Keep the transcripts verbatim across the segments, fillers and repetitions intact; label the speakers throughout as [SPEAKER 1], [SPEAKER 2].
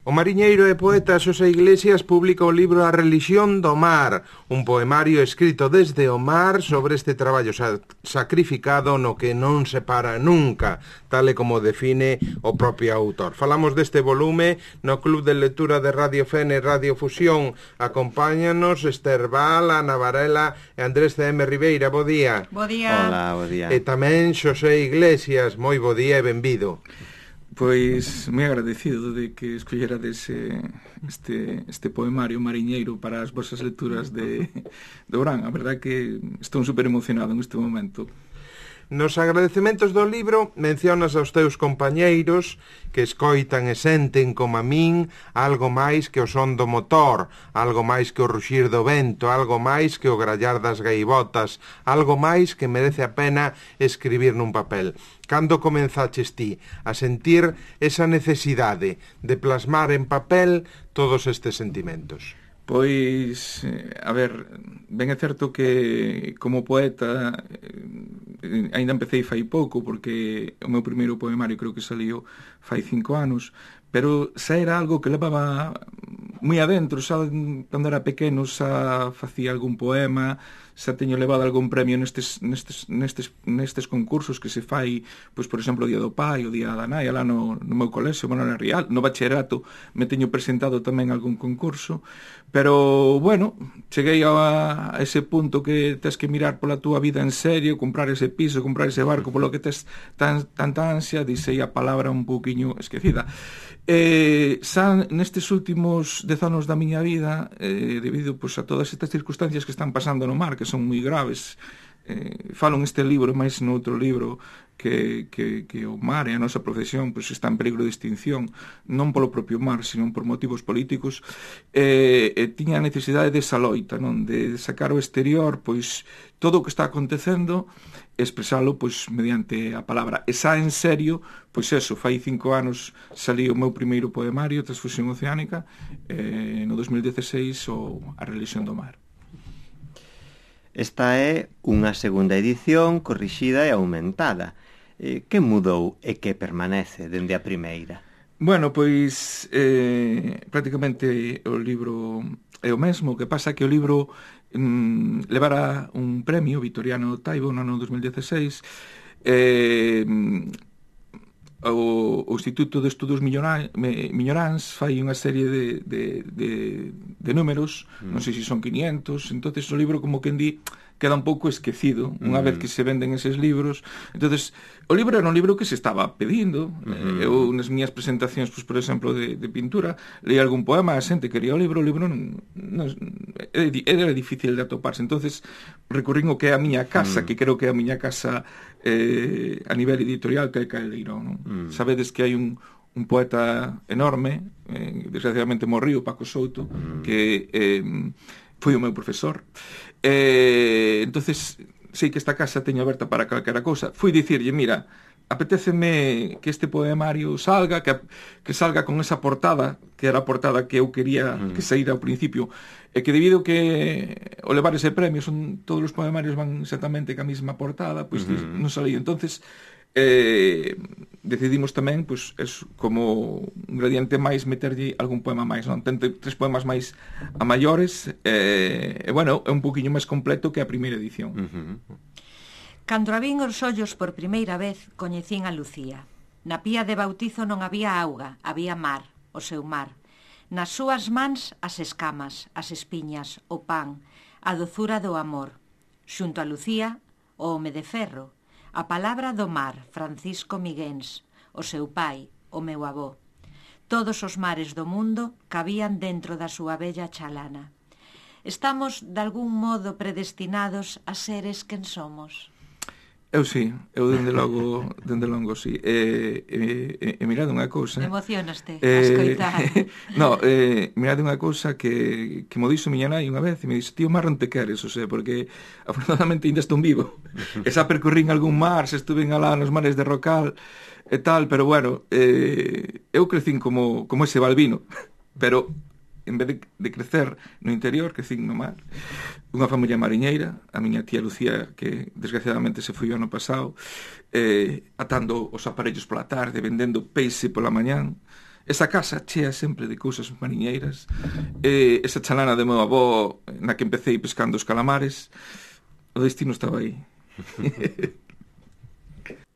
[SPEAKER 1] O mariñeiro e poeta Xosé Iglesias publica o libro A relixión do mar, un poemario escrito desde o mar sobre este traballo sa- sacrificado no que non se para nunca, tal e como define o propio autor. Falamos deste volume no Club de Lectura de Radio Fene e Radio Fusión. Acompáñanos Esther Val, Ana Varela e Andrés C M Ribeira. Bo día.
[SPEAKER 2] Bo día.
[SPEAKER 3] Hola, bo día.
[SPEAKER 1] E tamén Xosé Iglesias. Moi bo día e benvido.
[SPEAKER 2] Pois moi agradecido de que escollerades eh, este, este poemario mariñeiro para as vosas lecturas de, de Orán. A verdade que estou super emocionado en este momento.
[SPEAKER 1] Nos agradecementos do libro mencionas aos teus compañeiros que escoitan e senten como a min algo máis que o son do motor, algo máis que o ruxir do vento, algo máis que o grallar das gaivotas, algo máis que merece a pena escribir nun papel. Cando comenzaches ti a sentir esa necesidade de plasmar en papel todos estes sentimentos?
[SPEAKER 2] Pois, a ver, ben é certo que como poeta eh, ainda empecé fai pouco, porque o meu primeiro poemario creo que saliu fai cinco anos, pero xa era algo que levaba moi adentro, xa cando era pequeno xa facía algún poema, xa teño levado algún premio nestes, nestes, nestes, nestes concursos que se fai, pois, por exemplo, o Día do Pai, o Día da Nai, lá no, no meu colexio, Manuel Real, no bachillerato me teño presentado tamén algún concurso, pero, bueno, cheguei a, a ese punto que tes que mirar pola túa vida en serio, comprar ese piso, comprar ese barco, polo que tes tan, tanta ansia, dixei a palabra un pouquiño esquecida. Eh, xa nestes últimos dez anos da miña vida, eh, debido pois, a todas estas circunstancias que están pasando no mar, que son moi graves, eh, falo neste libro, máis no outro libro, que, que, que o mar e a nosa profesión pois, está en peligro de extinción, non polo propio mar, sino por motivos políticos, eh, e tiña a necesidade desa loita, non? De sacar ao exterior pois todo o que está acontecendo, expresalo pois mediante a palabra. E xa en serio, pois eso, fai cinco anos salí o meu primeiro poemario, Transfusión Oceánica, eh, no dos mil dieciséis o A relixión do mar.
[SPEAKER 3] Esta é unha segunda edición corrixida e aumentada. Eh, que mudou e que permanece dende a primeira?
[SPEAKER 2] Bueno, pois eh, prácticamente o libro é o mesmo, que pasa que o libro mm, levara un premio Vitoriano Taibo no ano dos mil dieciséis, eh, o, o Instituto de Estudos Miñoráns fai unha serie de, de, de, de números, mm. non sei se son quinientos, entonces o libro como que en di queda un pouco esquecido unha mm. vez que se venden eses libros. Entonces o libro era un libro que se estaba pedindo. mm. Eu nas miñas presentacións, pues, por exemplo, de, de pintura, leí algún poema, a xente quería o libro, o libro non, non, era difícil de atoparse. Entonces recurrín o que é a miña casa, mm. que creo que é a miña casa eh, a nivel editorial, que é Caldeirón, non? Mm. Sabedes que hai un un poeta enorme, eh, desgraciadamente morriu, Paco Souto, mm. que eh, foi o meu profesor. Eh, entonces sei que esta casa teño aberta para calquera cousa. Fui dicirlle, mira, apetéceme que este poemario salga, que, que salga con esa portada, que era a portada que eu quería mm. que saíra ao principio, e que debido que o levar ese premio son todos os poemarios van exactamente ca mesma portada, pois pues, mm. non salía. Entonces eh, decidimos tamén, pois, pues, como un gradiente máis, meterlle algún poema máis, non? Ten tres poemas máis a maiores, eh, e, bueno, é un poquinho máis completo que a primeira edición.
[SPEAKER 3] Uh-huh.
[SPEAKER 4] Cando abrín os ollos por primeira vez, coñecín a Lucía. Na pía de bautizo non había auga, había mar, o seu mar. Nas súas mans as escamas, as espiñas, o pan, a dozura do amor. Xunto a Lucía, o home de ferro, a palabra do mar, Francisco Miguéns, o seu pai, o meu avó. Todos os mares do mundo cabían dentro da súa bella chalana. Estamos, de algún modo, predestinados a seres quen somos.
[SPEAKER 2] Eu sí, eu dende logo, dende longo sí. E, e, e mirade unha cousa.
[SPEAKER 4] Emocionaste
[SPEAKER 2] eh,
[SPEAKER 4] a escoitar.
[SPEAKER 2] No, eh, mirade unha cousa que, que mo dixo miña nai unha vez, e me dixo, tío, mar non te queres, o sea, porque afortunadamente ainda estou vivo. E xa percorrín algún mar, se estuve alá nos mares de Rocal e tal, pero bueno, eh, eu crecín como, como ese Balbino, pero en vez de, de crecer no interior, crecín no mar. Unha familia mariñeira, a miña tía Lucía, que desgraciadamente se foi o ano pasado, eh, atando os aparellos pola tarde, vendendo peixe pola mañán, esa casa chea sempre de cousas mariñeiras, eh, esa chalana de meu avó na que empecé pescando os calamares, o destino estaba aí.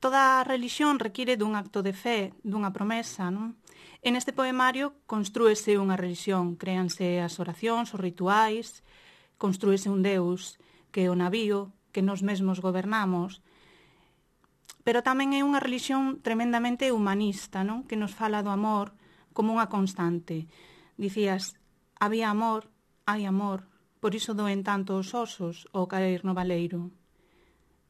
[SPEAKER 5] Toda religión require dun acto de fe, dunha promesa, non? En este poemario construese unha religión, créanse as oracións, os rituais, construese un Deus que é o navío, que nos mesmos gobernamos, pero tamén é unha religión tremendamente humanista, non? Que nos fala do amor como unha constante. Dicías, había amor, hai amor, por iso doen tanto os osos ao caer no valeiro.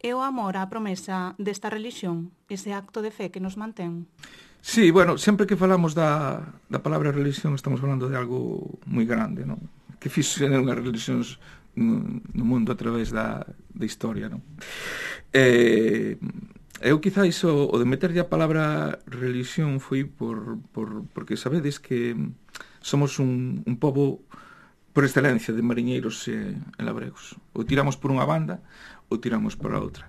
[SPEAKER 5] É o amor a promesa desta religión, ese acto de fe que nos mantén.
[SPEAKER 2] Sí, bueno, sempre que falamos da, da palabra religión estamos falando de algo moi grande, non? Que fixo unhas religións no, no mundo a través da, da historia, non? Eh, eu quizáis o, o de meterlle a palabra religión foi por, por, porque sabedes que somos un, un pobo por excelencia de mariñeiros e, e labregos. Ou tiramos por unha banda ou tiramos por a outra.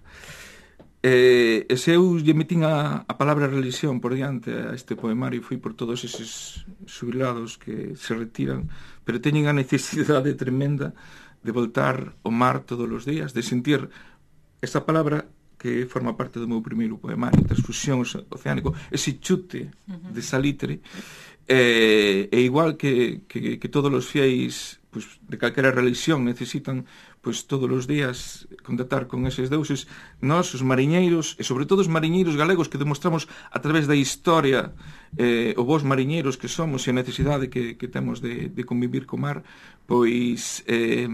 [SPEAKER 2] E, e se eu lle metín a, a palabra religión por diante a este poemario foi por todos eses xubilados que se retiran, pero teñen a necesidade tremenda de voltar ao mar todos os días, de sentir esa palabra que forma parte do meu primeiro poemario, Transfusión Oceánico, ese chute de salitre, e, e igual que, que, que todos os fiéis pues, de calquera religión necesitan pues, todos os días contactar con eses deuses, nós, os mariñeiros, e sobre todo os mariñeiros galegos que demostramos a través da historia eh, o vos mariñeiros que somos e a necesidade que, que temos de, de convivir co mar, pois eh,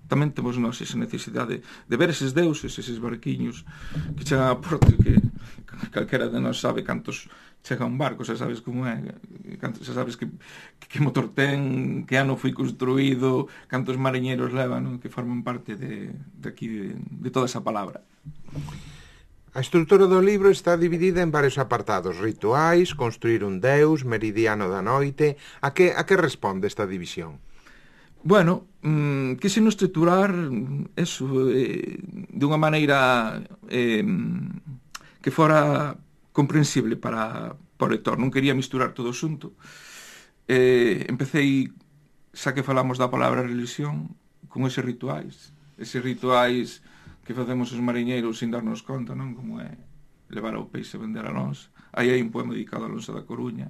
[SPEAKER 2] tamén temos nós esa necesidade de ver eses deuses, eses barquiños que chegan a porto, que calquera de nós sabe cantos chega un barco, xa sabes como é, xa sabes que, que motor ten, que ano foi construído, cantos mariñeiros leva, non? Que forman parte de, de aquí, de, de toda esa palabra.
[SPEAKER 1] A estrutura do libro está dividida en varios apartados: rituais, construir un deus, meridiano da noite. A que, a que responde esta división?
[SPEAKER 2] Bueno, mmm, quise non estruturar eso eh, de unha maneira eh, que fora comprensible para, para o lector. Non quería misturar todo xunto. Eh, empecéi, xa que falamos da palabra religión, con eses rituais. Eses rituais que facemos os mariñeiros sin darnos conta, non? Como é levar ao peixe a vender a nós. Aí hai un poema dedicado a Alonso da Coruña.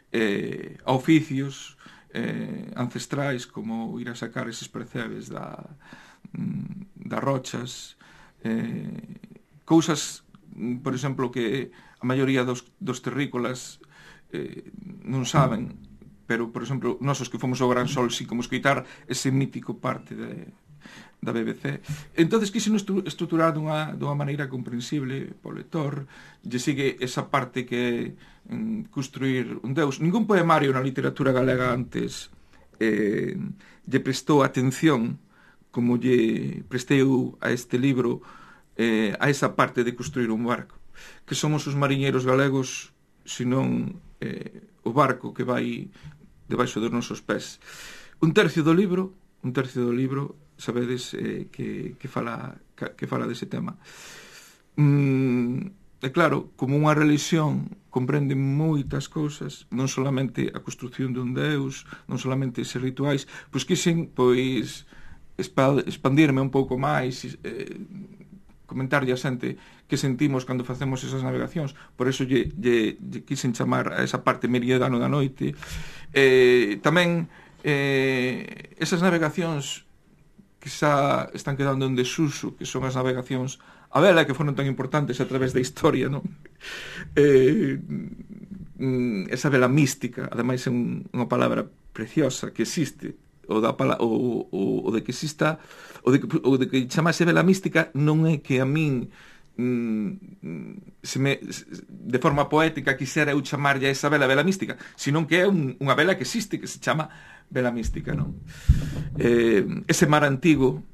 [SPEAKER 2] Eh, a oficios eh, ancestrais, como ir a sacar eses percebes da, das rochas. Eh, cousas, por exemplo, que a maioría dos, dos terrícolas eh, non saben, pero, por exemplo, nosos que fomos ao Gran Sol sí como escoitar ese mítico parte de, da B B C. Entonces quise estruturar dunha, dunha maneira comprensible po lector, lle sigue esa parte que mm, construir un deus. Ningún poemario na literatura galega antes eh, lle prestou atención como lle prestei a este libro eh, a esa parte de construir un barco. Que somos os mariñeiros galegos, senón eh, o barco que vai debaixo dos nosos pés. Un tercio do libro, un tercio do libro, sabedes eh, que, que fala que fala dese tema. Mm, é claro, como unha religión comprende moitas cousas, non solamente a construción dun deus, non solamente eses rituais, pois quixen pois expandirme un pouco máis, eh, comentarlle a xente que sentimos cando facemos esas navegacións. Por eso lle, lle, lle quixen chamar a esa parte meridiano da noite. Eh, tamén eh, esas navegacións que xa están quedando en desuso, que son as navegacións a vela, que foron tan importantes a través da historia, non? Eh, esa vela mística, ademais é un, unha palabra preciosa que existe, o, da, o, o, o de que exista, o de que, o de que chamase vela mística non é que a min mm, se me, de forma poética quixera eu chamarlle a esa vela vela mística, senón que é un, unha vela que existe, que se chama vela mística, non? Eh, ese mar antigo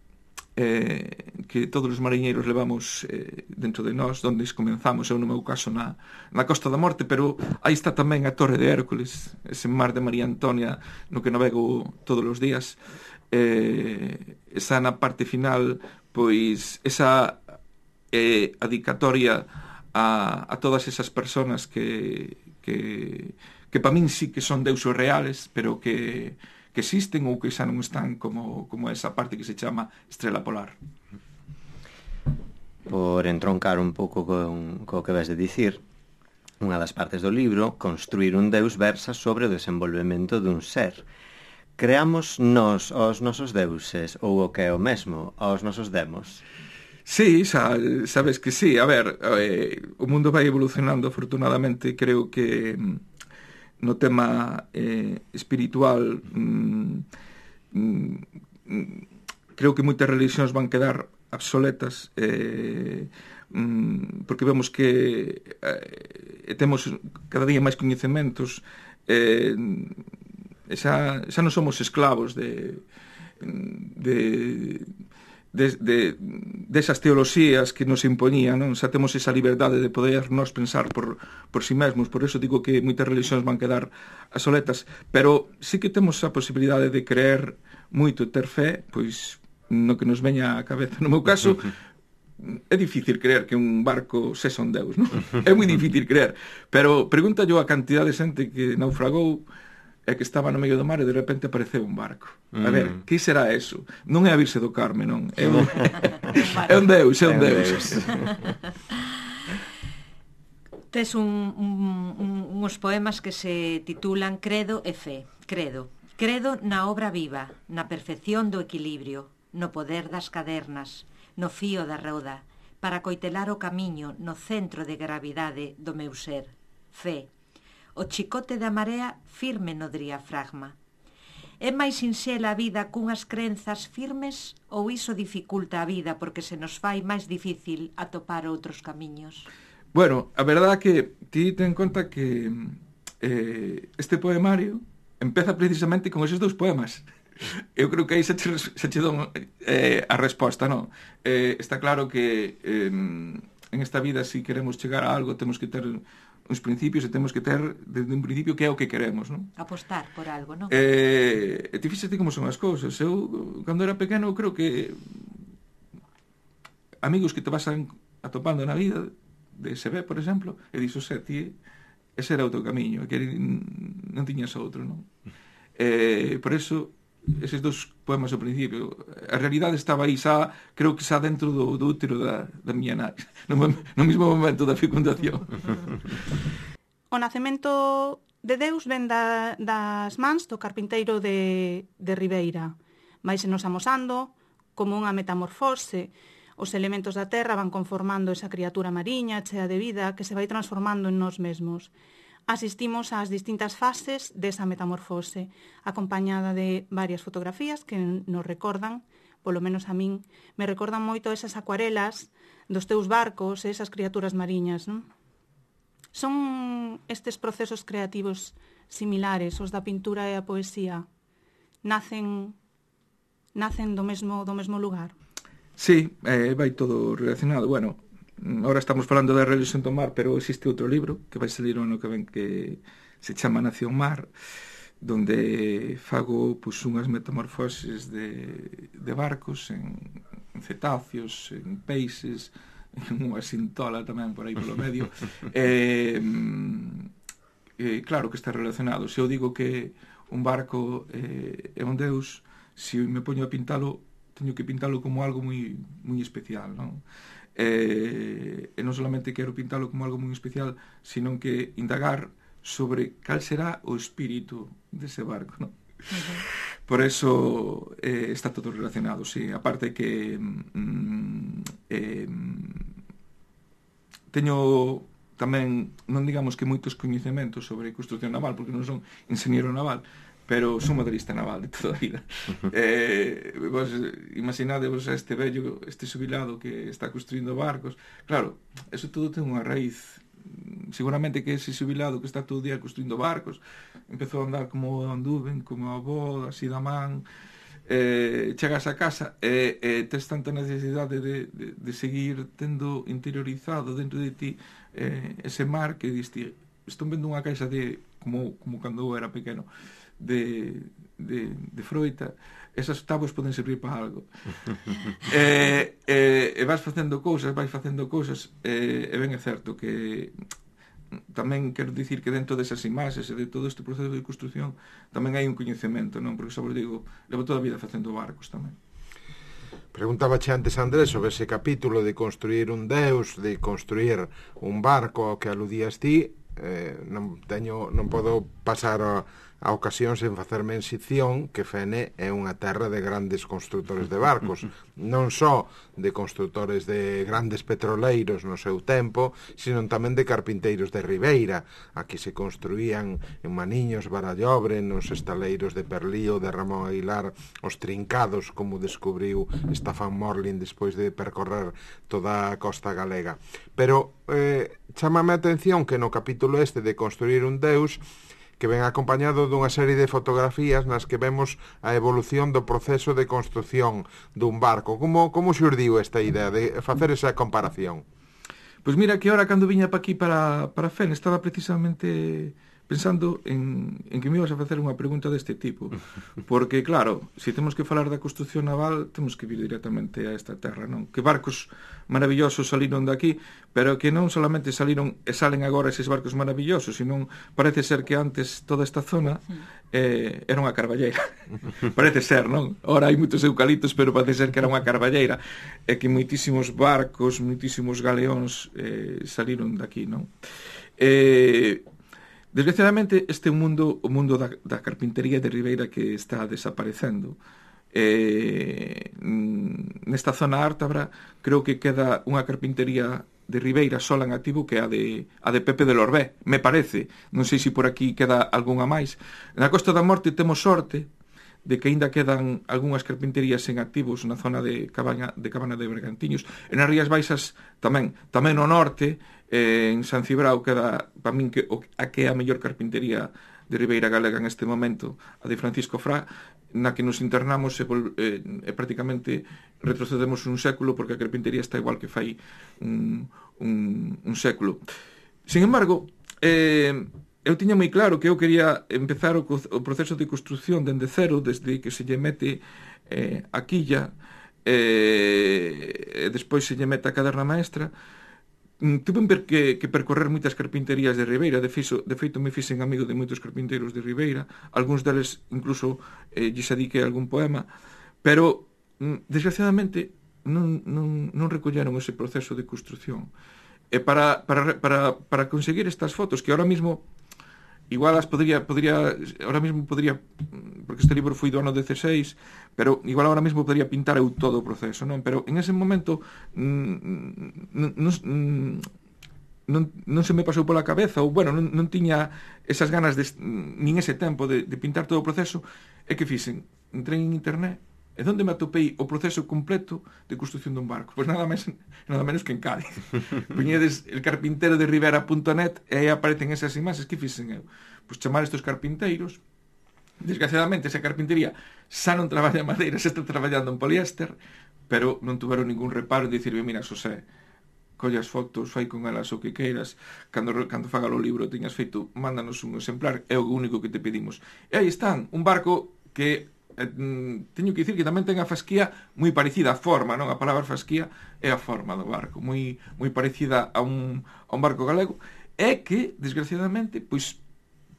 [SPEAKER 2] eh, que todos os mariñeiros levamos eh, dentro de nós, onde comenzamos, eu no meu caso na, na Costa da Morte, pero aí está tamén a Torre de Hércules, ese mar de María Antonia no que navego todos os días. Eh, esa na parte final, pois esa eh, adicatoria a, a todas esas personas que, que, que para min sí que son deuses reales, pero que, que existen ou que xa non están como, como esa parte que se chama estrela polar.
[SPEAKER 3] Por entroncar un pouco con co que vas de dicir, unha das partes do libro, construir un deus versa sobre o desenvolvemento dun ser. Creamos nós os nosos deuses, ou o que é o mesmo, aos nosos demos?
[SPEAKER 2] Sí, xa, sabes que sí. A ver, eh, o mundo vai evolucionando, afortunadamente. Creo que no tema eh, espiritual mm, mm, creo que moitas religións van quedar obsoletas, eh, mm, porque vemos que eh, temos cada día máis coñecementos, eh, xa, xa non somos esclavos de de de, de desas teoloxías que nos impoñían, non? Xa temos esa liberdade de poder nos pensar por, por si mesmos. Por eso digo que moitas religións van quedar obsoletas, pero sí que temos a posibilidade de creer moito, ter fe, pois no que nos veña á cabeza. No meu caso, é difícil creer que un barco sexa un deus, non? É moi difícil creer, pero pregunta yo a cantidad de xente que naufragou e que estaba no medio do mar e de repente apareceu un barco. A ver, mm. que será eso? Non é a Virxe do Carme, non? É un, é un deus, é un deus.
[SPEAKER 4] Tes un, un, un, uns poemas que se titulan Credo e Fe. Credo. Credo na obra viva, na perfección do equilibrio, no poder das cadernas, no fío da roda, para coitelar o camiño no centro de gravidade do meu ser. Fe. O chicote da marea firme no diafragma. É máis sinxela a vida cunhas crenzas firmes ou iso dificulta a vida porque se nos fai máis difícil atopar outros camiños?
[SPEAKER 2] Bueno, a verdade é que ti ten en conta que eh, este poemario empeza precisamente con eses dous poemas. Eu creo que aí se che, se che don eh, a resposta, non? Eh, está claro que eh, en esta vida, se si queremos chegar a algo, temos que ter uns principios e temos que ter desde un principio que é o que queremos, non?
[SPEAKER 4] Apostar por algo, non?
[SPEAKER 2] Eh, e ti fíxate como son as cousas. Eu, cando era pequeno, creo que amigos que te vas atopando na vida, de se ve, por exemplo, e dixo, xe, ti, ese era o teu camiño, e que non tiñas outro, non? Eh, por eso, eses dos poemas ao principio, a realidade estaba aí xa, creo que xa dentro do, do útero da, da miña nai, no, no mismo momento da fecundación.
[SPEAKER 5] O nacemento de Deus ven da, das mans do carpinteiro de, de Ribeira. Vaise nos amosando como unha metamorfose. Os elementos da terra van conformando esa criatura mariña chea de vida que se vai transformando en nós mesmos. Asistimos ás distintas fases desa metamorfose, acompañada de varias fotografías que nos recordan, polo menos a min, me recordan moito esas acuarelas dos teus barcos e esas criaturas mariñas, non? Son estes procesos creativos similares, os da pintura e a poesía, nacen nacen do mesmo do mesmo lugar?
[SPEAKER 2] Sí, eh, vai todo relacionado. Bueno, ahora estamos falando da religión do mar, pero existe outro libro que vai salir o ano que ven que se chama Nación Mar, donde fago pues, unhas metamorfoses de, de barcos en, en cetáceos, en peixes, en unha sintola tamén por aí polo medio. eh, eh, claro que está relacionado. Se eu digo que un barco eh, é un deus, se me poño a pintalo, teño que pintalo como algo moi, moi especial, non? Eh, e non solamente quero pintalo como algo moi especial, sino que indagar sobre cal será o espírito dese barco, non? Uh-huh. Por eso eh, está todo relacionado, sí. Aparte que mm, eh, teño tamén, non digamos que moitos coñecementos sobre construcción naval, porque non son ingeniero naval, pero son motorista naval de toda a vida. eh, vos imaginadevos este vello, este xubilado que está construindo barcos. Claro, eso todo ten unha raíz. Seguramente que ese xubilado que está todo o día construindo barcos empezou a andar como anduven, como a avó, así da man, eh, chegas a casa e eh, tes tanta necesidade de, de, de seguir tendo interiorizado dentro de ti eh, ese mar que diste, estou vendo unha caixa de, como, como cando eu era pequeno, de, de, de froita, esas tábuas poden servir para algo. e, e, e vas facendo cousas, vais facendo cousas, e, e ben é certo que tamén quero dicir que dentro desas imaxes e de todo este proceso de construción tamén hai un coñecemento, non? Porque, sobre digo, levo toda a vida facendo barcos tamén.
[SPEAKER 1] Preguntábache antes, Andrés, sobre ese capítulo de construir un deus, de construir un barco ao que aludías ti. Eh, non teño, non podo pasar a, a ocasión sen facer mención que Fene é unha terra de grandes constructores de barcos, non só de constructores de grandes petroleiros no seu tempo, sino tamén de carpinteiros de Ribeira. Aquí se construían en Maniños, Barallobre, nos estaleiros de Perlío, de Ramón Aguilar, os trincados, como descubriu Staffan Morlin despois de percorrer toda a costa galega. Pero eh, chámame a atención que no capítulo este de construir un deus, que ven acompañado dunha serie de fotografías nas que vemos a evolución do proceso de construción dun barco. Como, como xurdiu esta idea de facer esa comparación?
[SPEAKER 2] Pois mira, que ahora cando viña pa aquí para, para Fene estaba precisamente pensando en, en que me ibas a facer unha pregunta deste tipo, porque claro, se temos que falar da construción naval temos que vir directamente a esta terra, non? Que barcos maravillosos saliron daqui, pero que non solamente saliron e salen agora eses barcos maravillosos, sino parece ser que antes toda esta zona eh, era unha carballeira. Parece ser, non? Ora hai moitos eucaliptos, pero parece ser que era unha carballeira, e que moitísimos barcos, moitísimos galeóns eh, saliron daqui, non? Eh... Desgraciadamente, este é un mundo, o mundo da, da carpintería de Ribeira que está desaparecendo. Eh, nesta zona ártabra, creo que queda unha carpintería de Ribeira sola en activo, que é a de, a de Pepe de Lorbé, me parece. Non sei se por aquí queda algunha máis. Na Costa da Morte temos sorte de que aínda quedan algunhas carpinterías en activos na zona de Cabana de, Cabana de Bergantiños. E nas Rías Baixas tamén, tamén no norte, eh, en San Cibrao queda, para min, que, o, a que é a mellor carpintería de Ribeira Galega en este momento, a de Francisco Fra, na que nos internamos e, eh, e prácticamente retrocedemos un século, porque a carpintería está igual que fai un, un, un século. Sin embargo, eh, eu tiña moi claro que eu quería empezar o, o proceso de construción dende cero, desde que se lle mete eh, a quilla, eh, e despois se lle mete a caderna maestra. Tuve que, que percorrer moitas carpinterías de Ribeira, de, fixo, de feito me fixen amigo de moitos carpinteiros de Ribeira, algúns deles incluso eh, lles adiquei algún poema, pero desgraciadamente non, non, non recolleron ese proceso de construción. E para, para, para, para conseguir estas fotos, que ahora mismo igual as podría, podría, ahora mismo podría, porque este libro foi do ano dezseis, pero igual ahora mismo podría pintar eu todo o proceso, non? Pero en ese momento non, non, non, non se me pasou pola cabeza, ou bueno, non, non tiña esas ganas de, nin ese tempo de, de pintar todo o proceso, e que fixen? Entrei en internet, e onde me atopei o proceso completo de construción dun barco? Pois nada máis, nada menos que en Cádiz. Puñedes el carpintero de Rivera punto net e aí aparecen esas imaxes. Que fixen eu? Pois chamar estes carpinteiros. Desgraciadamente, esa carpintería xa non traballa en madeira, xa está traballando en poliéster, pero non tuveron ningún reparo en dicirme, mira, Xosé, colle as fotos, fai con elas o que queiras, cando, cando faga o libro tiñas feito, mándanos un exemplar, é o único que te pedimos. E aí están, un barco que eh, teño que dicir que tamén ten a fasquía moi parecida a forma, non? A palabra fasquía é a forma do barco, moi moi parecida a un, a un barco galego, é que, desgraciadamente, pois,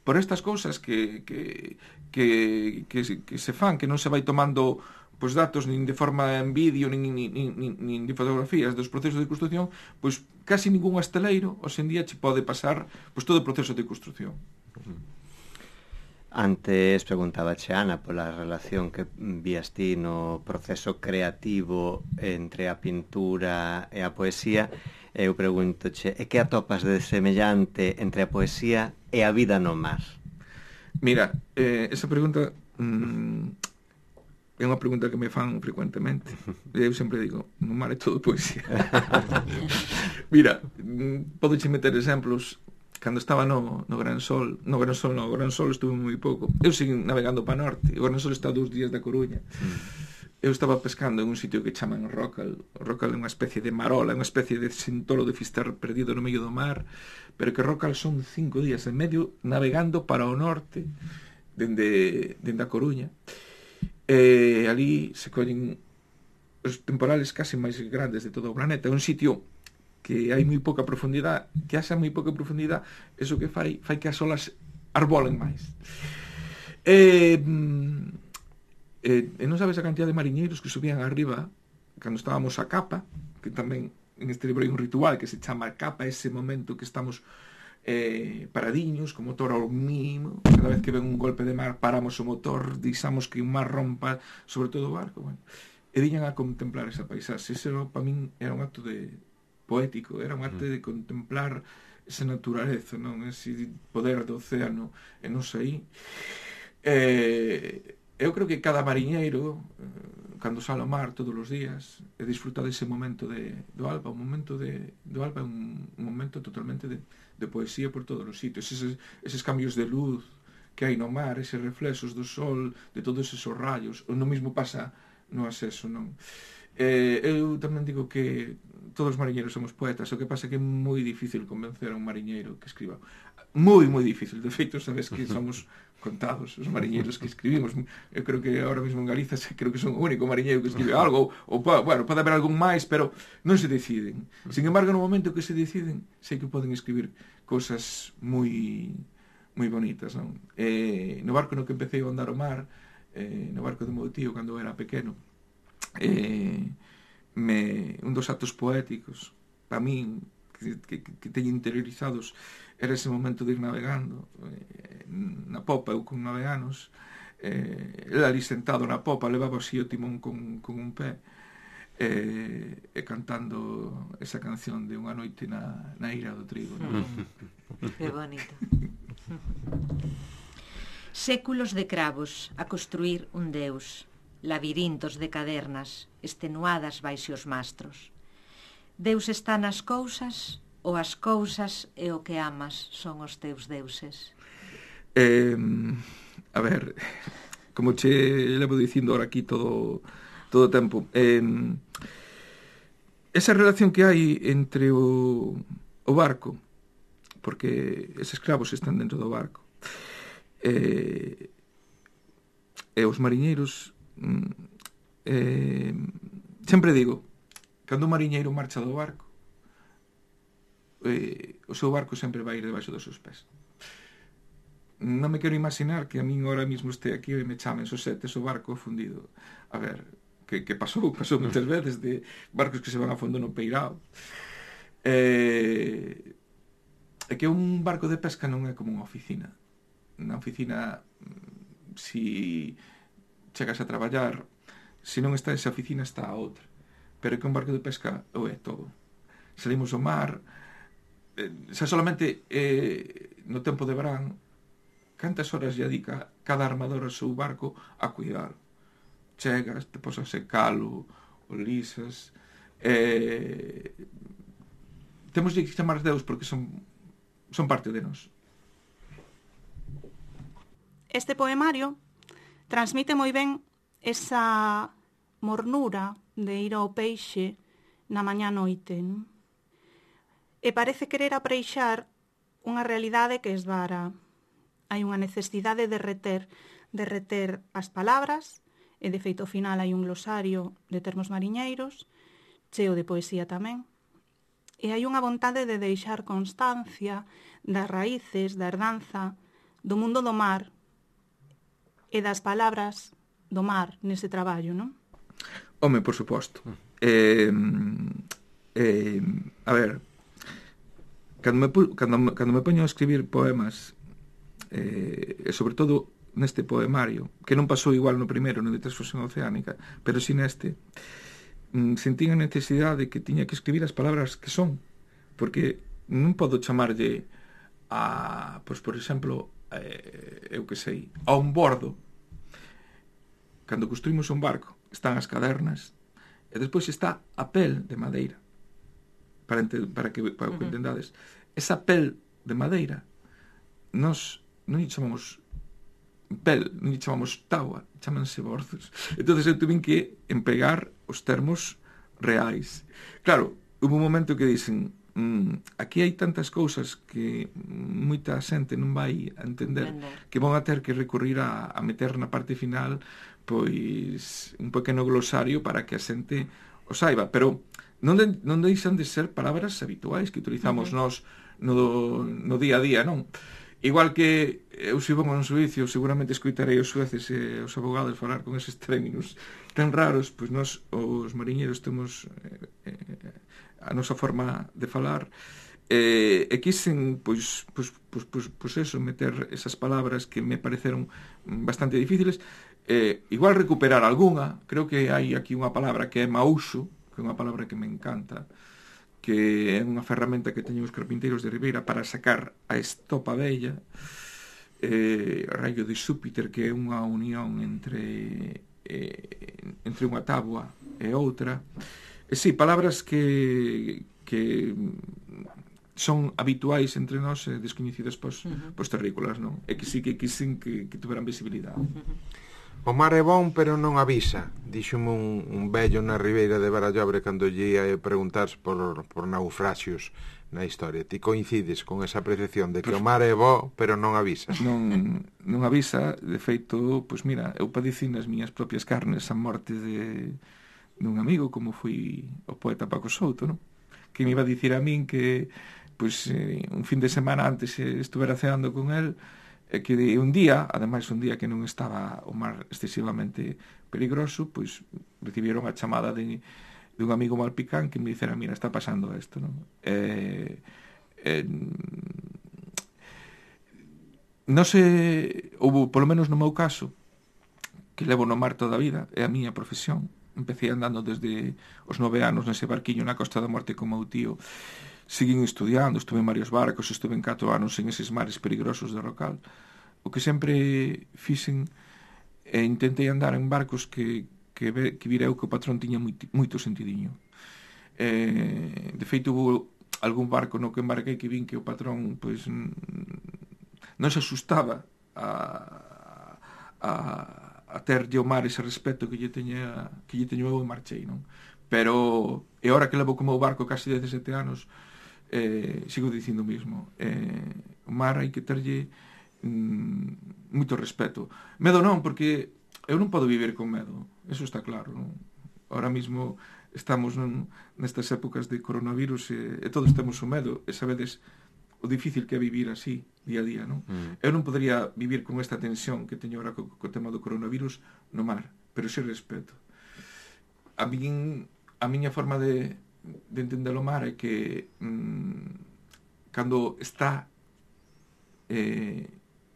[SPEAKER 2] por estas cousas que, que, que, que, que se fan, que non se vai tomando pois datos nin de forma en vídeo, nin, nin, nin, nin de fotografías dos procesos de construción, pois casi ningún esteleiro hoxe en día che pode pasar pois todo o proceso de construción.
[SPEAKER 3] Antes preguntaba che, Ana, pola relación que vías ti no proceso creativo entre a pintura e a poesía. Eu preguntoche, e que atopas de semellante entre a poesía e a vida no mar?
[SPEAKER 2] Mira, eh, esa pregunta mmm, é unha pregunta que me fan frecuentemente. Eu sempre digo, no mar é todo poesía. Mira, podoche meter exemplos. Cando estaba no, no Gran Sol, no Gran Sol, no Gran Sol estuve moi pouco. Eu segui navegando para norte. O Gran Sol está dous días da Coruña. Mm. Eu estaba pescando en un sitio que chaman Rocal. Rocal é unha especie de marola, unha especie de sintolo de Fisterra perdido no medio do mar, pero que Rocal son cinco días e medio navegando para o norte, dende, dende a Coruña. E ali se collen os temporales casi máis grandes de todo o planeta. É un sitio que hai moi pouca profundidade, que haxa moi pouca profundidade, eso que fai, fai que as olas arbolen máis. E, e, e non sabes a cantidad de mariñeiros que subían arriba cando estábamos a capa, que tamén en este libro hai un ritual que se chama capa, ese momento que estamos eh, paradiños, co motor ao mínimo, cada vez que ven un golpe de mar paramos o motor, deixamos que o mar rompa sobre todo o barco, bueno, e viñan a contemplar esa paisaxe. Ese para min era un acto de poético, era un acto de contemplar esa naturaleza, non? Ese poder do océano, e non sei. Eh, eu creo que cada mariñeiro, eh, cando sale ao mar todos os días, e disfruta dese momento de, do alba, o momento de, do alba é un, un momento totalmente de, de poesía por todos os sitios, eses, eses cambios de luz que hai no mar, eses reflexos do sol, de todos esos rayos, o no mismo pasa no acceso, non? Eh, eu tamén digo que todos os mariñeiros somos poetas, o que pasa é que é moi difícil convencer a un mariñeiro que escriba. Moi, moi difícil. De feito, sabes que somos contados os mariñeiros que escribimos. Eu creo que ahora mesmo en Galiza creo que son o único mariñeiro que escribe algo, ou, bueno, pode haber algún máis, pero non se deciden. Sin embargo, no momento que se deciden, sei que poden escribir cosas moi moi bonitas, non? Eh, no barco no que empecé a andar o mar, eh, no barco de meu tío, cando era pequeno, eh, me, un dos actos poéticos para min que, que, que teño interiorizados era ese momento de ir navegando eh, na popa, eu con nove anos, eh, ele ali sentado na popa levaba así o timón con, con un pé eh, e cantando esa canción de Unha noite na, na ira do trigo, ¿no?
[SPEAKER 4] Que bonito. Séculos de cravos a construir un deus, labirintos de cadernas estenuadas baixo os mastros. Deus está nas cousas, ou as cousas e o que amas son os teus deuses?
[SPEAKER 2] Eh, a ver, como che levo dicindo ahora aquí todo todo o tempo, eh, esa relación que hai entre o, o barco, porque eses cravos están dentro do barco, eh, e os mariñeiros, eh, sempre digo, cando un mariñeiro marcha do barco, eh, o seu barco sempre vai ir debaixo dos seus pés. Non me quero imaginar que a min ahora mismo este aquí e me chamen Sosetes o barco fundido. A ver, que, que pasou, pasou moitas veces de barcos que se van a fondo no peirao. Eh, é que un barco de pesca non é como unha oficina. Na oficina, si chegas a traballar, se non está esa oficina está a outra, pero que un barco de pesca o é todo. Salimos ao mar, eh, xa solamente eh, no tempo de verán, cantas horas lle dedica cada armador ao seu barco a cuidar. Chegas, te posas a secalo, o lisas, eh, temos que chamar Deus porque son, son parte de nós.
[SPEAKER 5] Este poemario transmite moi ben esa mornura de ir ao peixe na mañá noite, non? E parece querer apreixar unha realidade que esvara. Hai unha necesidade de reter, de reter as palabras, e de feito ao final hai un glosario de termos mariñeiros, cheo de poesía tamén, e hai unha vontade de deixar constancia das raíces, da herdanza, do mundo do mar e das palabras do mar nese traballo, non?
[SPEAKER 2] Home, por suposto. Eh, eh, a ver, cando me, cando, cando me poño a escribir poemas, eh, e sobre todo neste poemario, que non pasou igual no primeiro, no de Transfusión Oceánica, pero si neste, mm, sentín a necesidade de que tiña que escribir as palabras que son, porque non podo chamarlle a, pois, por exemplo, eh, eu que sei, a un bordo. Cando construímos un barco, están as cadernas, e despois está a pel de madeira, para, ente, para que, para que entendades. Esa pel de madeira, nos non lle chamamos pel, non lle chamamos taua, chamanse borzos. Entón eu tuve que empregar os termos reais. Claro, hubo un momento que dicen, mm, aquí hai tantas cousas que moita xente non vai a entender, que van a ter que recurrir a, a meter na parte final pois un pequeno glosario para que a xente o saiba, pero non, de, non deixan de ser palabras habituais que utilizamos uh-huh. nós no, no día a día, non? Igual que eu se vou a un suicio, seguramente escoitarei os sueces e os abogados falar con eses términos tan raros, pois nós, os mariñeiros, temos eh, eh, a nosa forma de falar, eh, e quisen, pois, pois, pois, pois, pois eso, meter esas palabras que me pareceron bastante difíciles, eh, igual recuperar algunha. Creo que hai aquí unha palabra que é mauxo, que é unha palabra que me encanta, que é unha ferramenta que teñen os carpinteiros de Ribeira para sacar a estopa vella, eh, raio de Xúpiter, que é unha unión entre eh, entre unha táboa e outra. E sí, palabras que que son habituais entre nós e descoñecidas pos, uh-huh. pos terrícolas, non? E que sí que quisen que, que tuveran visibilidade.
[SPEAKER 1] Uh-huh. O mar é bon, pero non avisa, díxome un, un vello na ribeira de Barallobre cando lle ia preguntar por, por naufraxios na historia. Ti coincides con esa apreciación de que o mar é bo, pero non avisa?
[SPEAKER 2] Non, non avisa, de feito, pois mira, eu padeci nas miñas propias carnes a morte de dun amigo, como foi o poeta Paco Souto, non? Que me iba a dicir a min que pois, eh, un fin de semana antes eh, estuvera ceando con el, e que un día, ademais un día que non estaba o mar excesivamente peligroso, pois recibieron a chamada de, de un amigo malpicán que me dixera, mira, está pasando isto, non? Eh, eh, non se, houve, polo menos no meu caso, que levo no mar toda a vida, é a miña profesión. Empecé andando desde os nove anos nese barquiño na Costa da Morte con meu tío. Seguín estudiando, estuve en varios barcos, estuve en catro anos en eses mares peligrosos de Rocal. O que sempre fixen e intentei andar en barcos que, que, que vireu que o patrón tiña moito, moito sentidiño. Eh, de feito, hubo algún barco no que embarquei que vin que o patrón pois, non se asustaba a, a, a terlle o mar ese respeto que lle teña, que lle teño eu e marchei, non? Pero, e ahora que levo como o barco casi dezasete anos, Eh, sigo dicindo o mismo, eh, o mar hai que terlle mm, moito respeto. Medo non, porque eu non podo vivir con medo, eso está claro, non? Ahora mismo estamos non, nestas épocas de coronavirus e, e todos temos o medo, e sabedes o difícil que é vivir así día a día, non? Mm. Eu non podría vivir con esta tensión que teño ahora co, co tema do coronavirus no mar, pero xe respeto. A min, a miña forma de de entender o mar é que mmm, cando está eh,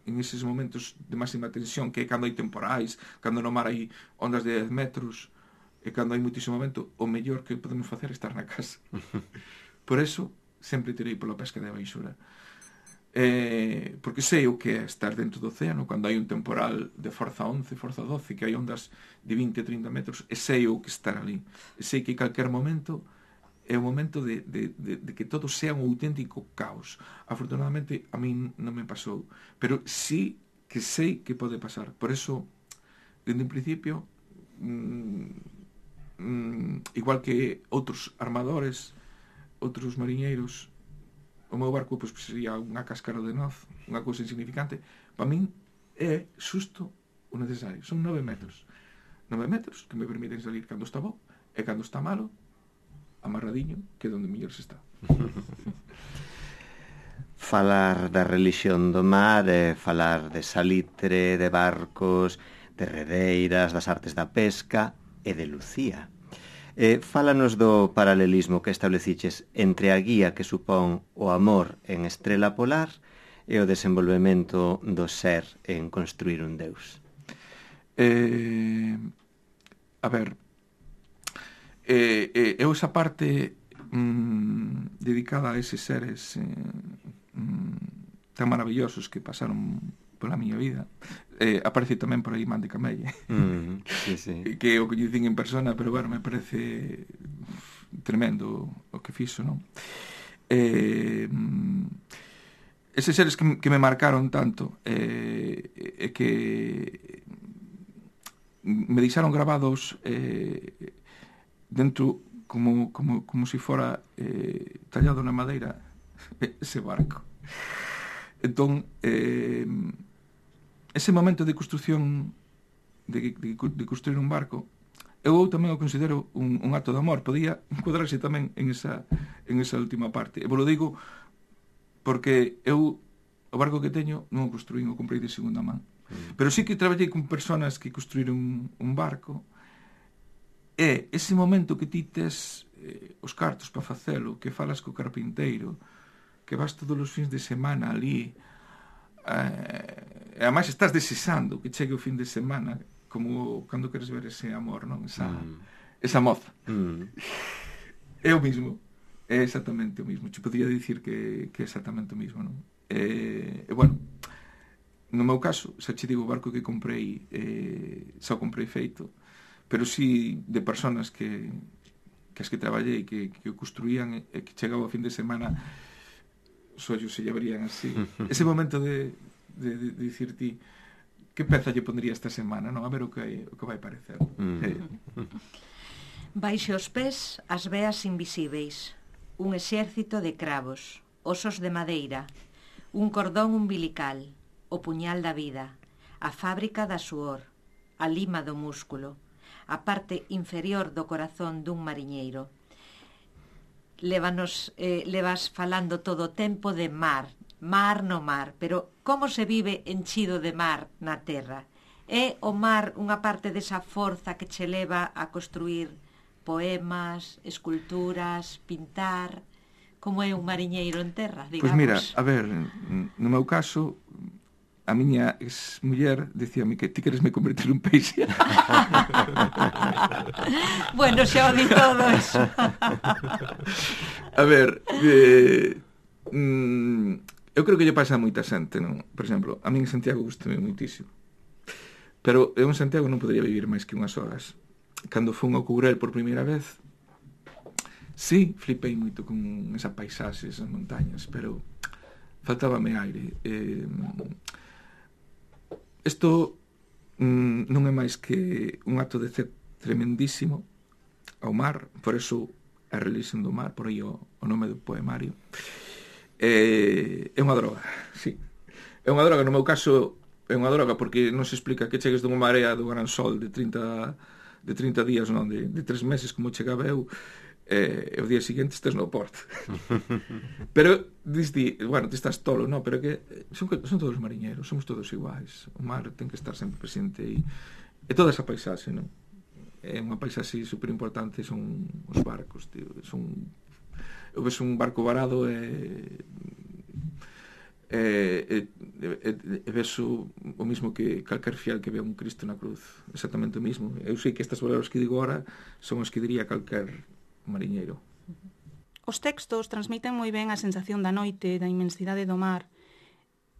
[SPEAKER 2] en eses momentos de máxima tensión, que é cando hai temporais, cando no mar hai ondas de dez metros, e cando hai moitísimo vento, o mellor que podemos facer é estar na casa. Por eso sempre tirei pola pesca de baixura, eh, porque sei o que é estar dentro do océano cando hai un temporal de forza once, forza doce, que hai ondas de vinte a trinta metros, e sei o que estar ali, e sei que calquer momento é o momento de, de, de, de que todo sea un auténtico caos. Afortunadamente a min non me pasou, pero sí que sei que pode pasar. Por eso, dende un principio, mmm, mmm, igual que outros armadores, outros mariñeiros, o meu barco pois, sería unha cáscara de noz, unha cousa insignificante. Para min é xusto o necesario. Son nove metros. Nove metros que me permiten salir cando está bo e cando está malo, amarradiño, que é onde mellor se está.
[SPEAKER 3] Falar da relixión do mar é falar de salitre, de barcos, de redeiras, das artes da pesca e de Lucía. Eh, fálanos do paralelismo que estableciches entre a guía que supón o amor en Estrela Polar e o desenvolvemento do ser en construir un deus.
[SPEAKER 2] Eh, a ver, eh, eh, eu esa parte mm, dedicada a eses seres eh, mm, tan maravillosos que pasaron pola miña vida, eh, aparece tamén por aí Man de Camelle,
[SPEAKER 3] mm, sí, sí.
[SPEAKER 2] que o coñecín en persona, pero bueno, me parece tremendo o que fixo, non? Eh, eses seres que, que me marcaron tanto e eh, que me deixaron grabados eh, dentro como, como, como si fora eh, tallado na madeira ese barco. Entón, eh, ese momento de construción de, de, de construir un barco eu tamén o considero un, un acto de amor. Podía encuadrarse tamén en esa, en esa última parte. E vos lo digo porque eu o barco que teño non o construín, o comprei de segunda man. Mm. Pero sí que traballei con personas que construíron un, un barco, e ese momento que ti tes eh, os cartos para facelo, que falas co carpinteiro, que vas todos os fins de semana ali, eh, e ademais estás desexando que chegue o fin de semana, como cando queres ver ese amor, non? Esa, mm. esa moza. Mm. É o mismo. É exactamente o mismo. Te podría dicir que, que é exactamente o mismo, non? E, e bueno, no meu caso, xa che digo, o barco que comprei, eh, xa o comprei feito, pero sí de personas que, que as que traballei, que, que o construían e que chegaba o fin de semana, os ollos se lle abrían así. Ese momento de, de, de, de dicir ti, que peza lle pondría esta semana, non? A ver o que, o que vai parecer. Mm. Eh.
[SPEAKER 4] Baixe os pés as veas invisíveis, un exército de cravos, osos de madeira, un cordón umbilical, o puñal da vida, a fábrica da suor, a lima do músculo, a parte inferior do corazón dun mariñeiro. Lévanos, eh, levas falando todo o tempo de mar, mar no mar, pero como se vive enchido de mar na terra? É o mar unha parte desa forza que che leva a construir poemas, esculturas, pintar? Como é un mariñeiro en terra, digamos?
[SPEAKER 2] Pois mira, a ver, no meu caso, a miña ex-muller dicíame que ti queres me convertir un peixe.
[SPEAKER 4] Bueno, xa o di todo eso.
[SPEAKER 2] A ver, eh, mm, eu creo que lle pasa a moita xente, non? Por exemplo, a min en Santiago gustame moitísimo. Pero eu en Santiago non podería vivir máis que unhas horas. Cando fun ao Courel por primeira vez, sí, flipei moito con esa paisaxe, esas montañas, pero faltábame aire. Eh, isto mm, non é máis que un acto de fe tremendísimo ao mar, por eso a religión do mar, por aí o, o nome do poemario. Eh, é unha droga, sí. É unha droga, no meu caso, é unha droga porque non se explica que chegues dunha marea do gran sol de trinta, de trinta días, non, de, de tres meses como chegaba eu, e eh, o día seguinte estes no porto. Pero diste, bueno, te estás tolo, no, pero que son, son todos mariñeiros, somos todos iguais. O mar ten que estar sempre presente e, e toda esa paisaxe, non? É unha paisaxe super importante, son os barcos, tío, son eu ves un barco varado e e, e, e, e ves o, o mismo que calquer fiel que ve un Cristo na cruz, exactamente o mismo. Eu sei que estas palabras que digo ahora son as que diría calquer mariñeiro.
[SPEAKER 5] Os textos transmiten moi ben a sensación da noite, da inmensidade do mar,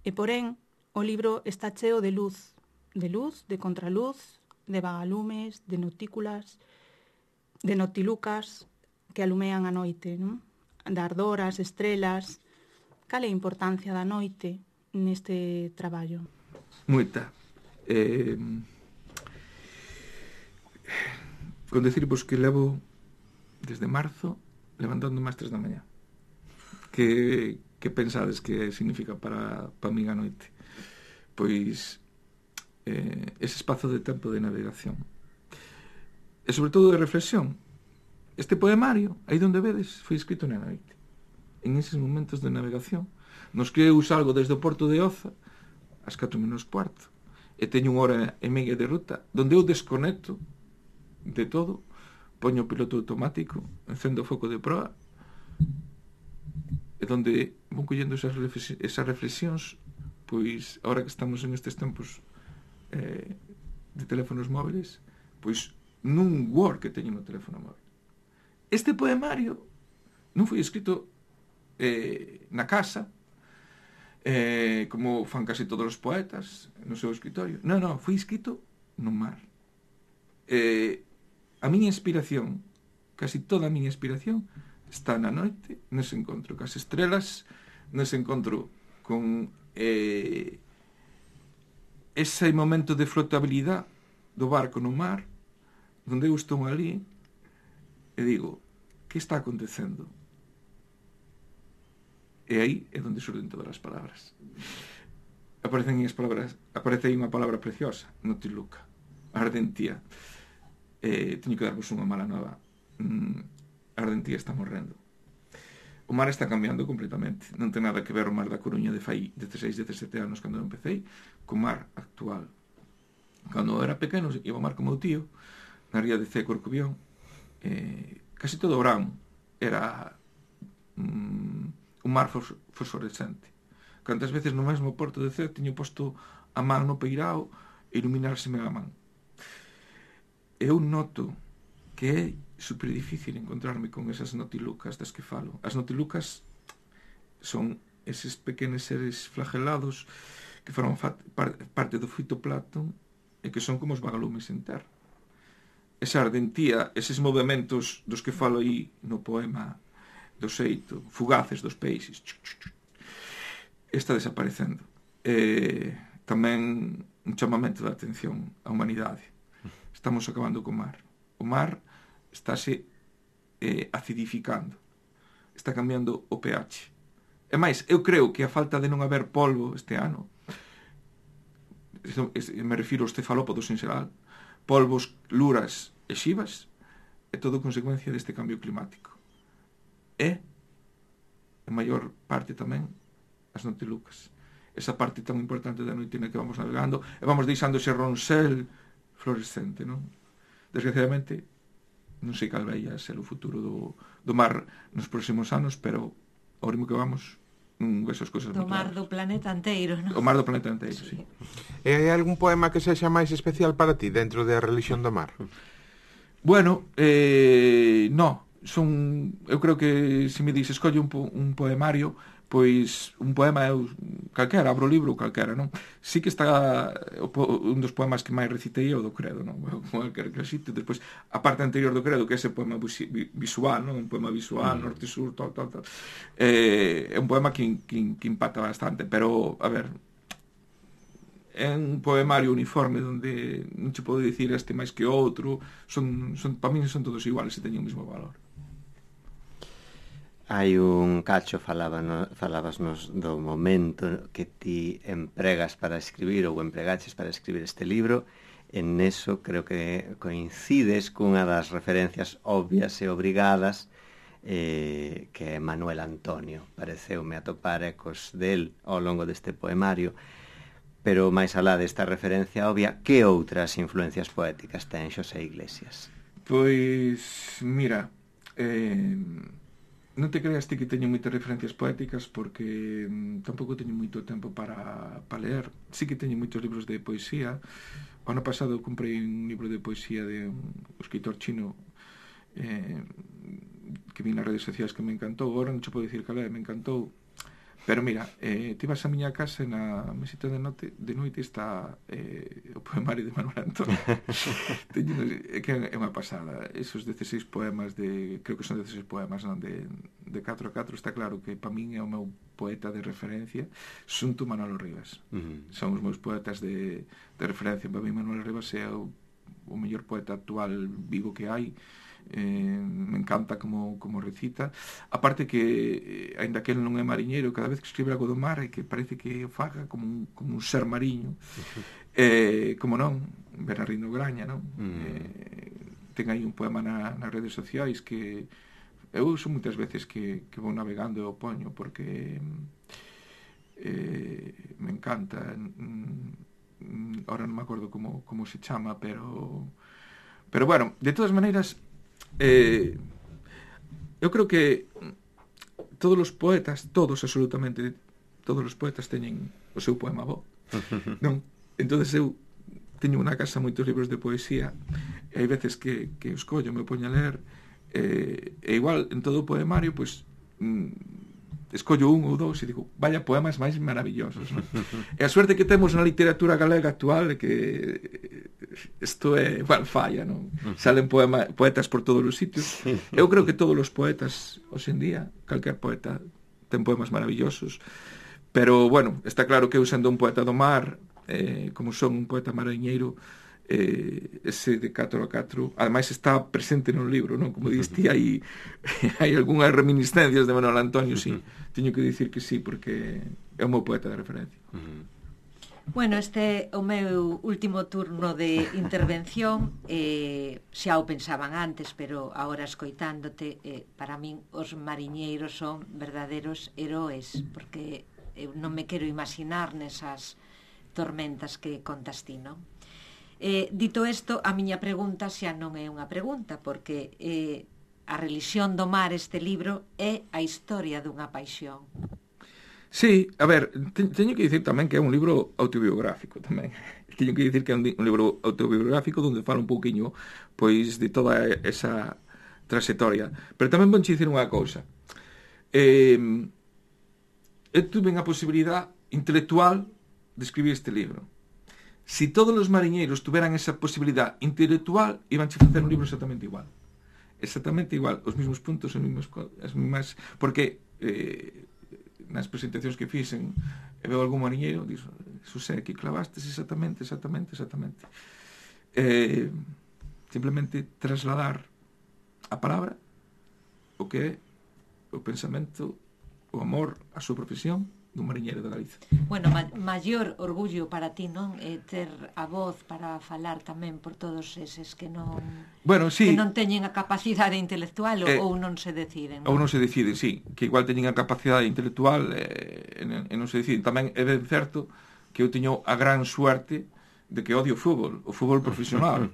[SPEAKER 5] e porén o libro está cheo de luz, de luz, de contraluz, de vagalumes, de notículas, de notilucas que alumean a noite, non? De ardoras, estrelas. Cal é a importancia da noite neste traballo?
[SPEAKER 2] Moita. Eh, con decirvos que levo desde marzo levantándome ás tres da mañá. Que, que pensades que significa para, para min a noite? Pois eh, ese espazo de tempo de navegación. E sobre todo de reflexión. Este poemario, aí onde vedes, foi escrito na noite. En eses momentos de navegación, nos que eu salgo desde o porto de Oza ás catro menos cuarto e teño unha hora e media de ruta donde eu desconecto de todo, poño o piloto automático, encendo o foco de proa e donde vou collendo esas, reflexións, esas reflexións, pois agora que estamos en estes tempos eh, de teléfonos móviles, pois nun Word que teño no teléfono móvil. Este poemario non foi escrito Eh, na casa eh, como fan casi todos os poetas no seu escritorio, non, non, foi escrito no mar. eh, a miña inspiración, casi toda a miña inspiración está na noite, nese encontro cas estrelas, nese encontro con eh, ese momento de flotabilidade do barco no mar, onde eu estou ali e digo, que está acontecendo? E aí é onde surden todas as palabras. Aparecen as palabras, aparece aí unha palabra preciosa, notiluca, ardentía. eh, teño que darvos unha mala nova. Mm, a Ardentía está morrendo. O mar está cambiando completamente. Non ten nada que ver o mar da Coruña de fai dezasseis, dezasete anos cando eu empecé, co mar actual. Cando eu era pequeno, iba ao mar con meu tío, na ría de Cee Corcubión, eh, casi todo o verán era mm, un mar fos, fosforescente. Cantas veces no mesmo porto de Cee tiño posto a man no peirao e iluminárseme a man. Eu noto que é super difícil encontrarme con esas notilucas das que falo. As notilucas son eses pequenos seres flagelados que forman parte do fitoplancton e que son como os vagalumes en terra. Esa ardentía, eses movimentos dos que falo aí no poema do xeito, fugaces dos peixes, está desaparecendo. E tamén un chamamento de atención á humanidade. Estamos acabando co mar. O mar estáse eh, acidificando. Está cambiando o pH. E máis, eu creo que a falta de non haber polvo este ano, me refiro aos cefalópodos en xeral, polvos, luras e xivas, é todo consecuencia deste cambio climático. E, a maior parte tamén, as notilucas. Esa parte tan importante da noite na que vamos navegando, e vamos deixando ese ronsel fluorescente, non? Desgraciadamente, non sei cal vai a ser o futuro do, do mar nos próximos anos, pero ao ritmo que vamos, non ves as cousas
[SPEAKER 4] do mar do planeta inteiro, non?
[SPEAKER 2] O mar do planeta inteiro, sí. sí.
[SPEAKER 1] E hai algún poema que sexa máis especial para ti dentro da religión do mar?
[SPEAKER 2] Bueno, eh, no, son, eu creo que se me dices escolle un, po, un poemario, pois un poema é calquera, abro o libro calquera, non? Sí que está un dos poemas que máis recitei é o do Credo, non? Calquera que recite, despois a parte anterior do Credo, que é ese poema visual, non? Un poema visual, mm. norte-sur, tal, tal, tal. Eh, é un poema que, que, que impacta bastante, pero, a ver, é un poemario uniforme onde non se pode dicir este máis que outro, son, son, para min son todos iguales e teñen o mesmo valor.
[SPEAKER 3] Hai un cacho, falabas, falabasnos do momento que ti empregas para escribir ou empregaches para escribir este libro. En eso creo que coincides cunha das referencias obvias e obrigadas, eh, que é Manuel Antonio. Pareceume atopar ecos del ao longo deste poemario. Pero máis alá desta referencia obvia, que outras influencias poéticas ten Xosé Iglesias?
[SPEAKER 2] Pois, mira, eh... non te creas ti que teño moitas referencias poéticas porque mm, tampouco teño moito tempo para, para ler. Sí que teño moitos libros de poesía. O ano pasado comprei un libro de poesía de un escritor chino eh, que vi nas redes sociais que me encantou. Agora non te podo dicir cal é, me encantou. Pero mira, eh, ti vas a miña casa e na mesita de noite, de noite está eh, o poemario de Manuel Antonio. Teño, é que é unha pasada. Esos dezasseis poemas de, creo que son dezasseis poemas, non, de, de catro a catro, está claro que para min é o meu poeta de referencia, xunto Manolo Rivas. Uh-huh. Son os meus poetas de, de referencia. Para min Manolo Rivas é o, o mellor poeta actual vivo que hai. Eh, me encanta como, como recita, aparte que eh, ainda que ele non é mariñeiro, cada vez que escribe algo do mar é que parece que o faga como un, como un ser mariño. eh, como non, Bernardino Graña, non? Mm. Eh, ten aí un poema na, nas redes sociais que eu uso moitas veces que, que vou navegando e o poño porque eh, me encanta. mm, ahora non me acordo como, como se chama, pero pero bueno, de todas maneiras, Eh, eu creo que todos os poetas, todos absolutamente todos os poetas teñen o seu poema bo, non? Entonces eu teño na casa moitos libros de poesía e hai veces que, que os collo, me poño a ler eh, e igual en todo o poemario pois mm, escollo un ou dous e digo, vaya poemas máis maravillosos, non? E a suerte que temos na literatura galega actual é que isto é igual falla, non? Salen poema, poetas por todos os sitios. Eu creo que todos os poetas hoxe en día, calquer poeta ten poemas maravillosos, pero bueno, está claro que eu sendo un poeta do mar, eh, como son un poeta mariñeiro, eh, ese de catro a catro ademais está presente no libro, non? Como diste, hai, hai algunhas reminiscencias de Manuel Antonio, sí, teño que dicir que sí, porque é o meu poeta de referencia.
[SPEAKER 4] Bueno, este é o meu último turno de intervención. eh, xa o pensaban antes, pero agora escoitándote, eh, para min os mariñeiros son verdaderos heróis, porque eu non me quero imaginar nesas tormentas que contas ti, non? Eh, dito isto, a miña pregunta xa non é unha pregunta, porque eh, A relixión do mar, este libro, é a historia dunha paixón.
[SPEAKER 2] Sí, a ver, te, teño que dicir tamén que é un libro autobiográfico tamén. Teño que dicir que é un, un libro autobiográfico onde fala un pouquiño pois de toda esa trayectoria. Pero tamén vou dicir unha cousa. Eh, eu tuve a posibilidad intelectual de escribir este libro. Si todos os mariñeiros tuveran esa posibilidad intelectual, iban a facer un libro exactamente igual. Exactamente igual, os mesmos puntos, os mesmos, as mesmas... Porque eh, nas presentacións que fixen, e veo algún mariñeiro, dixo, Xosé, que clavastes exactamente, exactamente, exactamente. Eh, simplemente trasladar a palabra, o que é o pensamento, o amor, a súa profesión, dun mariñeiro de Galicia.
[SPEAKER 4] Bueno, ma maior orgullo para ti, non? É ter a voz para falar tamén por todos eses que non
[SPEAKER 2] bueno, sí,
[SPEAKER 4] que non teñen a capacidade intelectual ou,
[SPEAKER 2] eh,
[SPEAKER 4] ou non se deciden, non?
[SPEAKER 2] Ou non se deciden, sí, que igual teñen a capacidade intelectual eh, e, e non se deciden. Tamén é ben certo que eu teño a gran suerte de que odio o fútbol, o fútbol profesional.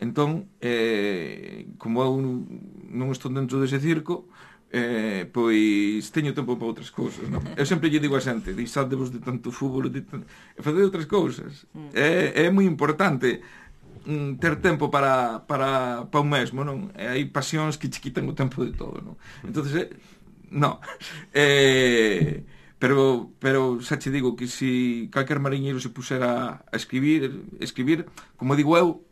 [SPEAKER 2] Entón, eh, como eu non estou dentro dese circo, Eh, pois teño tempo para outras cousas, non? Eu sempre lle digo a xente, deixadevos de tanto fútbol, de tanto... e facer outras cousas. Mm. É, é moi importante mm, ter tempo para, para, para un mesmo, non? E hai pasións que che quitan o tempo de todo, non? Entonces, eh, no. Eh, pero, pero xa che digo que se calquer mariñeiro se pusera a escribir, escribir, como digo eu,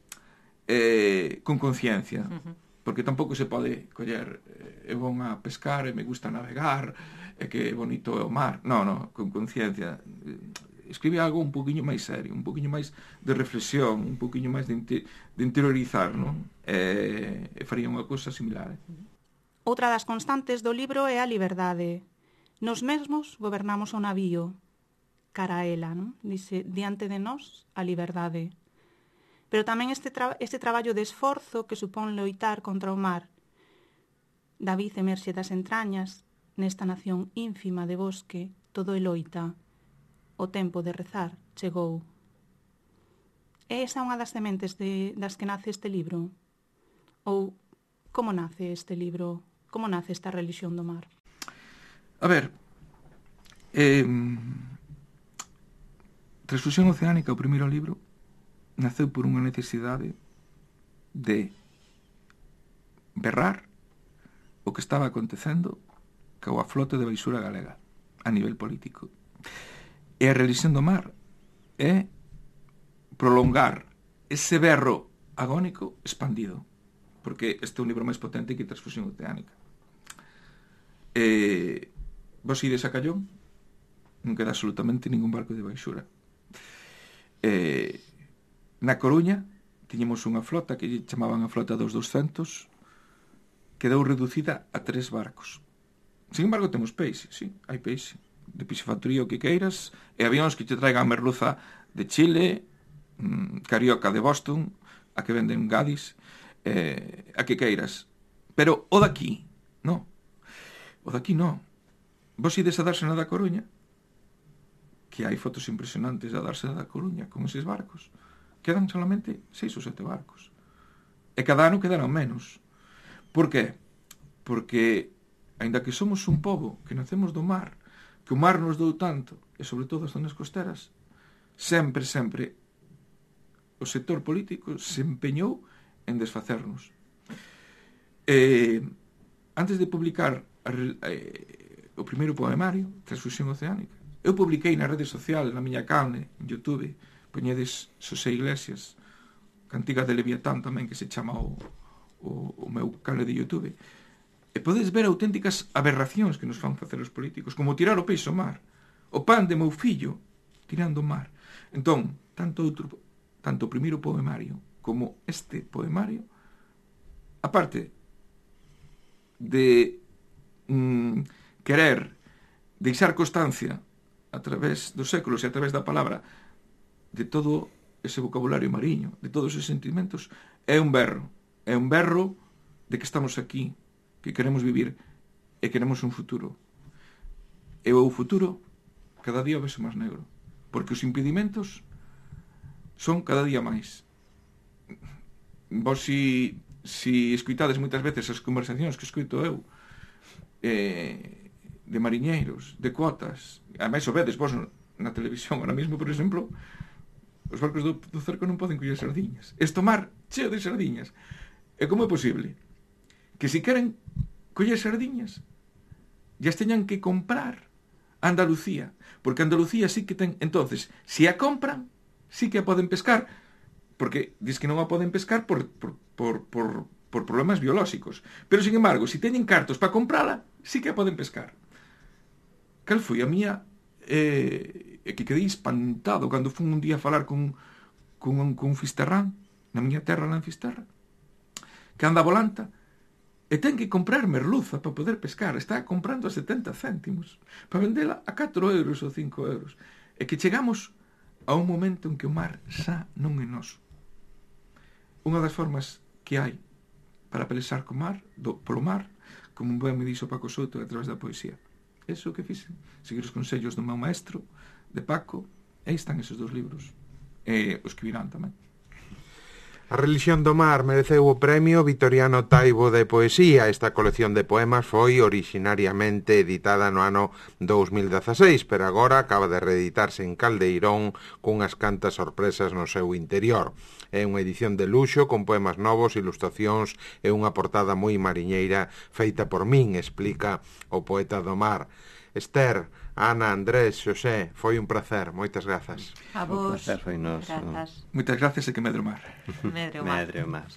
[SPEAKER 2] eh, con conciencia. Uh-huh. Porque tampouco se pode coller eh, eu vou a pescar e me gusta navegar e que bonito é o mar. Non, non, con conciencia. Escribe algo un poquinho máis serio, un poquinho máis de reflexión, un poquinho máis de, inter, de interiorizar, non? E, e faría unha cousa similar. Eh?
[SPEAKER 5] Outra das constantes do libro é a liberdade. Nos mesmos gobernamos o navío. Cara a ela, non? Dice, diante de nós, a liberdade. Pero tamén este, tra este traballo de esforzo que supón loitar contra o mar. David emerxe das entrañas, nesta nación ínfima de bosque, todo é loita. O tempo de rezar chegou. É esa unha das sementes de, das que nace este libro? Ou como nace este libro? Como nace esta relixión do mar?
[SPEAKER 2] A ver, eh, Transfusión Oceánica, o primeiro libro, naceu por unha necesidade de berrar o que estaba acontecendo coa flote de baixura galega a nivel político. E a relixión do mar é prolongar ese berro agónico expandido, porque este é un libro máis potente que Transfusión Oceánica. E vos ides a Callón, non queda absolutamente ningún barco de baixura. E na Coruña tiñemos unha flota que chamaban a flota dos doscentos, quedou reducida a tres barcos. Sin embargo, temos peixe, sí, hai peixe de piscifactoría o que queiras, e avións que te traigan merluza de Chile, mmm, carioca de Boston, a que venden Gadis, eh, a que queiras. Pero o daqui, no. O daqui no. Vos ides a Dársena da Coruña, que hai fotos impresionantes a Dársena da Coruña con eses barcos. Quedan solamente seis ou sete barcos. E cada ano quedarán menos. Por qué? Porque, aínda que somos un pobo que nacemos do mar, que o mar nos dou tanto, e sobre todo as zonas costeras, sempre, sempre, o sector político se empeñou en desfacernos. E, antes de publicar a, eh, o primeiro poemario, Transfusión Oceánica, eu publiquei na rede social, na miña canle, en YouTube, poñedes Xosé Iglesias, cantiga de Leviatán tamén, que se chama o, o, o meu canal de YouTube, e podes ver auténticas aberracións que nos fan facer os políticos, como tirar o peixe ao mar, o pan de meu fillo tirando o mar. Entón, tanto outro, tanto o primeiro poemario como este poemario, aparte de mm, querer deixar constancia a través dos séculos e a través da palabra de todo ese vocabulario mariño, de todos esos sentimentos, é un berro. É un berro de que estamos aquí, que queremos vivir e queremos un futuro. E o futuro cada día vese máis negro, porque os impedimentos son cada día máis. Vos si, si escuitades moitas veces as conversacións que escuito eu, eh, de mariñeiros, de cuotas, a máis o vedes vos na televisión ahora mesmo, por exemplo, os barcos do, do cerco non poden coller sardiñas. Este mar cheo de sardiñas. E como é posible que se queren coller sardiñas ya teñan que comprar a Andalucía, porque Andalucía sí que ten, entonces, se a compran, sí que a poden pescar, porque dis que non a poden pescar por, por, por, por, por problemas biolóxicos, pero sin embargo, se teñen cartos para comprala, sí que a poden pescar. Cal foi a mía eh, que quedei espantado cando fun un día a falar con, con, un, con un fisterrán na miña terra, lá en Fisterra, que anda a volanta e ten que comprar merluza para poder pescar, está comprando a setenta céntimos para vendela a catro euros ou cinco euros, e que chegamos a un momento en que o mar xa non é noso. Unha das formas que hai para pelexar co mar, do, polo mar, como un ben me dixo Paco Souto a través da poesía. Eso que fixen, seguir os consellos do meu maestro, de Paco, e aí están esos dos libros, e os que virán tamén.
[SPEAKER 1] A Relixión do Mar mereceu o premio Vitoriano Taibo de Poesía. Esta colección de poemas foi orixinariamente editada no ano dous mil dezaseis, pero agora acaba de reeditarse en Caldeirón cunhas cantas sorpresas no seu interior. É unha edición de luxo con poemas novos, ilustracións e unha portada moi mariñeira feita por min, explica o poeta do mar. Esther, Ana, Andrés, Xosé, foi un placer, moitas grazas.
[SPEAKER 4] A vos,
[SPEAKER 3] placer foi noso.
[SPEAKER 4] grazas.
[SPEAKER 2] Moitas gracias e que medre o mar.
[SPEAKER 4] Medre o mar.
[SPEAKER 3] Medre o mar.